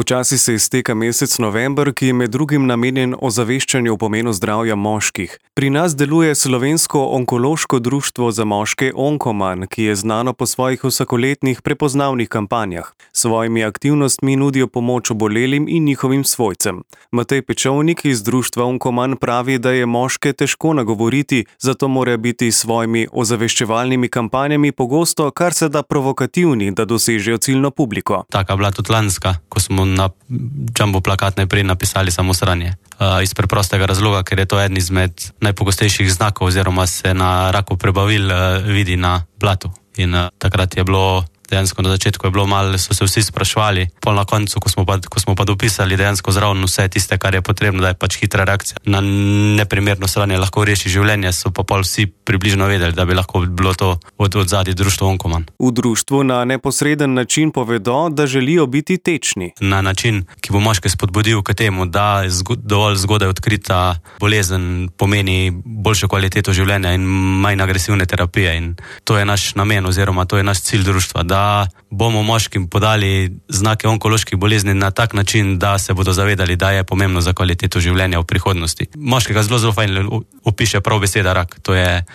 Počasi se izteka mesec november, ki je med drugim namenjen ozaveščanju o pomenu zdravja moških. Pri nas deluje Slovensko onkološko društvo za moške Onkoman, ki je znano po svojih vsakoletnih prepoznavnih kampanjah. S svojimi aktivnostmi nudijo pomoč obolelim in njihovim svojcem. Matej Pečovnik iz društva Onkoman pravi, da je moške težko nagovoriti, zato morajo biti s svojimi ozaveščevalnimi kampanjami pogosto kar se da provokativni, da dosežejo ciljno publiko. Taka bila tudi lanska, ko smo na jumbo plakat najprej napisali samo sranje. Iz preprostega razloga, ker je to eden izmed najpogostejših znakov oziroma se na raku prebavil vidi na blatu. In takrat je bilo, dejansko na začetku je bilo malo, so se vsi sprašvali, pol na koncu, ko smo pa dopisali dejansko zraven vse tiste, kar je potrebno, da je pač hitra reakcija na neprimerno sranje lahko reši življenje, so pa pol vsi približno vedeli, da bi lahko bilo to od zadaj društvo Onkoman. V društvu na neposreden način povedo, da želijo biti tečni. Na način, ki bo moške spodbudil k temu, da dovolj zgodaj odkrita bolezen pomeni boljšo kvaliteto življenja in manj agresivne terapije. In to je naš namen oziroma to je naš cilj društva, da bomo moškim podali znake onkoloških bolezni na tak način, da se bodo zavedali, da je pomembno za kvaliteto življenja v prihodnosti. Moškega zelo fajn opiše prav beseda rak. To je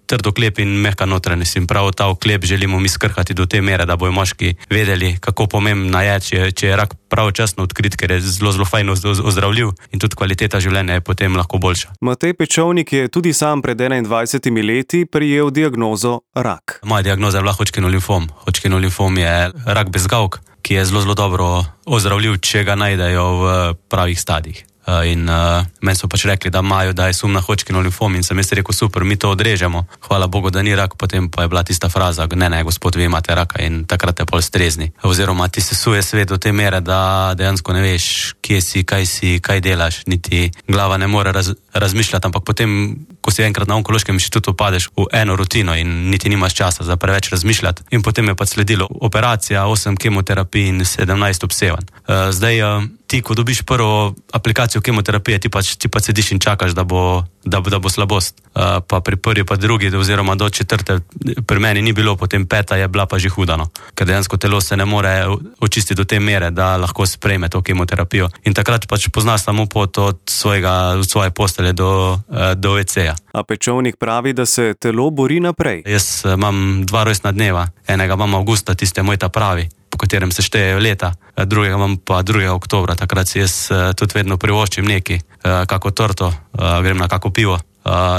trd oklep in mehka notranjost. In prav ta oklep želimo mi skrhati do te mere, da bojo moški vedeli, kako pomembna je, če je rak pravočasno odkrit, ker je zelo fajn ozdravljiv in tudi kvaliteta življenja je potem lahko boljša. Matej Pečovnik je tudi sam pred 21 leti prejel diagnozo rak. Moja diagnoza je bila Hodgkinov limfom. Hodgkinov limfom je rak bezgavk, ki je zelo dobro ozdravljiv, če ga najdejo v pravih stadijih. In meni so pač rekli, da imajo, da je sum na Hodgkinov limfom in sem jaz rekel, super, mi to odrežemo. Hvala Bogu, da ni rak, potem pa je bila tista fraza, ne, gospod, vi imate raka in takrat je pol strezni. Oziroma ti se suje svet do te mere, da dejansko ne veš, kje si, kaj delaš, niti glava ne more razmišljati, ampak potem, ko si enkrat na onkološkem inštitutu padeš v eno rutino in niti nimaš časa za preveč razmišljati. In potem je pa sledilo operacija, 8 kemoterapij in 17 obsevanj. Zdaj, ti, ko dobiš prvo aplikacijo kemoterapije, ti pa sediš in čakaš, da bo slabost. Pa pri prvi, pa drugi, oziroma do 4. pri meni ni bilo, potem 5. je bila pa že huda, no. Ker dejansko telo se ne more očistiti do te mere, da lahko sprejme to kemoterapijo. In takrat pač poznaš samo pot od svoje postelje do WC-ja. A Pečovnik pravi, da se telo bori naprej. Jaz imam 2 rojstna dneva. Enega imam avgusta, tiste moj ta pravi, po katerem se štejejo leta, drugega imam pa 2. oktobra. Takrat si jaz tudi vedno privoščim nekaj, kako torto, grem na kako pivo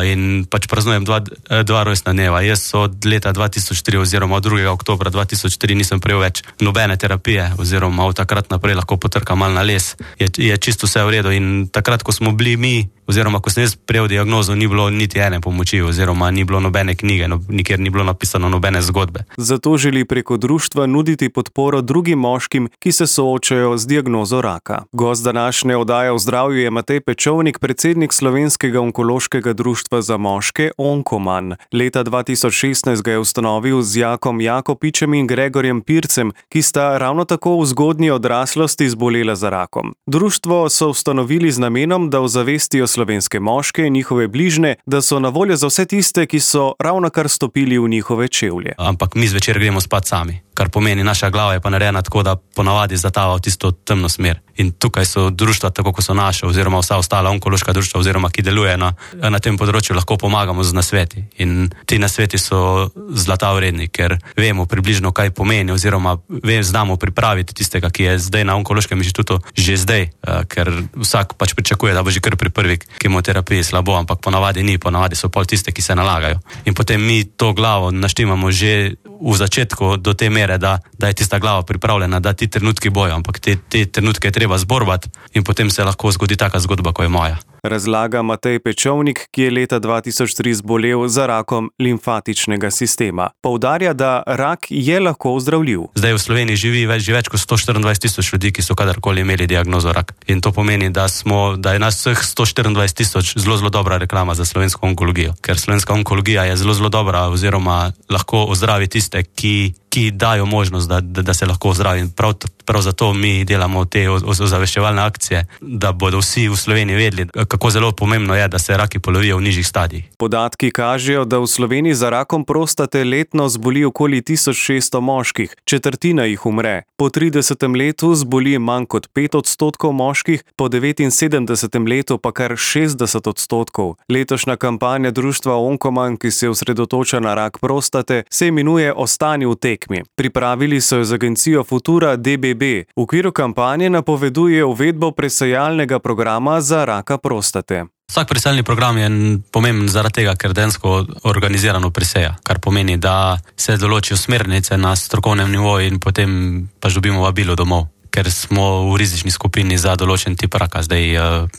in pač praznujem 2 rojstna dneva. Jaz od leta 2003 oziroma od 2. oktobra 2003 nisem prejel več nobene terapije oziroma od takrat naprej lahko potrkam malo na les. Je čisto vse v redu in takrat, ko smo bili mi, oziroma ko sem jaz prejel diagnozo, ni bilo niti ene pomoči oziroma ni bilo nobene knjige, nikjer ni bilo napisano nobene zgodbe. Zato želi preko društva nuditi podporo drugim moškim, ki se soočajo z diagnozo raka. Gost današnje oddaje o zdravju je Matej Pečovnik, predsednik Slovenskega onkološkega društva za moške Onkoman. Leta 2016 ga je ustanovil z Jakom Jakopičem in Gregorjem Pircem, ki sta ravno tako v zgodnji odraslosti zbolela za rakom. Društvo so ustanovili z namenom, da ozavestijo slovenske moške in njihove bližne, da so na voljo za vse tiste, ki so ravnokar stopili v njihove čevlje. Ampak mi zvečer gremo spat sami, kar pomeni, naša glava je pa narejena tako, da ponavadi zatava v tisto temno smer. In tukaj so društva, tako kot so naše, oziroma vsa ostala onkološka društva, oziroma ki deluje na tem področju, lahko pomagamo z nasveti. In ti nasveti so zlata vredni, ker vemo približno, kaj pomeni, oziroma znamo pripraviti tistega, ki je zdaj na onkološkem inštitutu, že zdaj, ker vsak pač pričakuje, da bo že kar pri prvi kemoterapiji slabo, ampak ponavadi ni, ponavadi so pol tiste, ki se nalagajo. In potem mi to glavo naštimamo že v začetku do te mere, da je tista glava pripravljena, da ti trenutki bojo, ampak te trenutke je treba zborbati in potem se lahko zgodi taka zgodba, ko je moja. Razlaga Matej Pečovnik, ki je leta 2003 zbolel za rakom limfatičnega sistema. Poudarja, da rak je lahko ozdravljiv. Zdaj v Sloveniji živi več kot 124,000 ljudi, ki so kadarkoli imeli diagnozo rak. In to pomeni, da je nas vseh 124,000 zelo dobra reklama za slovensko onkologijo. Ker slovenska onkologija je zelo dobra oziroma lahko ozdravi tiste, ki dajo možnost, da se lahko ozdravi. prav zato mi delamo te ozaveščevalne akcije, da bodo vsi v Sloveniji vedeli, kako zelo pomembno je, da se raki polovijo v nižjih stadijih. Podatki kažejo, da v Sloveniji za rakom prostate letno zboli okoli 1600 moških, četrtina jih umre. Po 30. letu zboli manj kot 5% moških, po 79. letu pa kar 60%. Letošnja kampanja društva Onkoman, ki se osredotoča na rak prostate, se imenuje Ostani v tekmi. Pripravili so jo z agencijo Futura DBB. V okviru kampanje napoveduje uvedbo presejalnega programa za raka prostate. Vsak presejalni program je pomemben zaradi tega, ker dejansko organizirano preseja, kar pomeni, da se določijo smernice na strokovnem nivoju in potem pač dobimo vabilo domov, ker smo v rizični skupini za določen tip raka.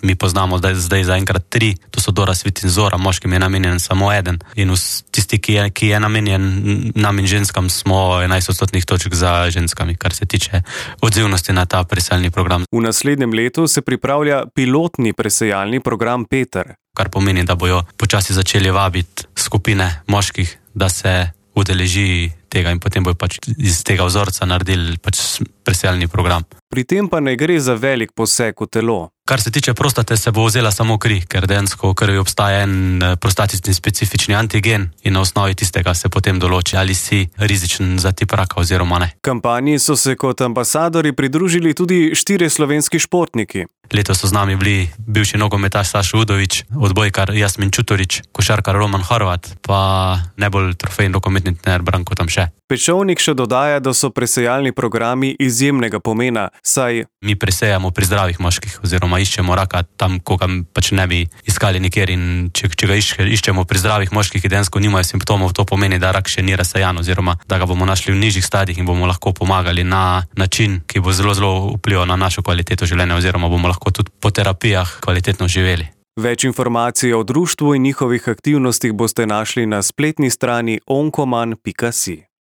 Mi poznamo zdaj zaenkrat 3, to so Dora, Svit in Zora, moškim je namenjen samo eden. In tisti, ki je namenjen nam in ženskam, smo 11% točk za ženskami, kar se tiče odzivnosti na ta presejalni program. V naslednjem letu se pripravlja pilotni presejalni program Peter. Kar pomeni, da bojo počasi začeli vabiti skupine moških, da se udeleži tega in potem bojo pač iz tega vzorca naredili pač presejalni program. Pri tem pa ne gre za velik poseg v telo. Kar se tiče prostate, se bo vzela samo kri, ker dejansko v krvi obstaja en prostatični specifični antigen in na osnovi tistega se potem določi, ali si rizičen za tip raka oziroma ne. Kampanji so se kot ambasadori pridružili tudi 4 slovenski športniki. Letos so z nami bili bivši nogometaš Sašo Udovič, odbojkar Jasmin Čutorič, košarkar Roman Horvat, pa najbolj trofejni rokometni trener Branko Tamše. Pečovnik še dodaja, da so presejalni programi izjemnega pomena, saj mi presejamo pri zdravih moških oziroma iščemo raka tam, ko ga pač ne bi iskali nikjer, in če ga iščemo pri zdravih moških, ki dejansko nimajo simptomov, to pomeni, da rak še ni razsejan oziroma da ga bomo našli v nižjih stadijih in bomo lahko pomagali na način, ki bo zelo, zelo vplival na našo kvaliteto življenja oziroma bomo lahko tudi po terapijah kvalitetno živeli. Več informacij o društvu in njihovih aktivnostih boste našli na spletni strani onkoman.si.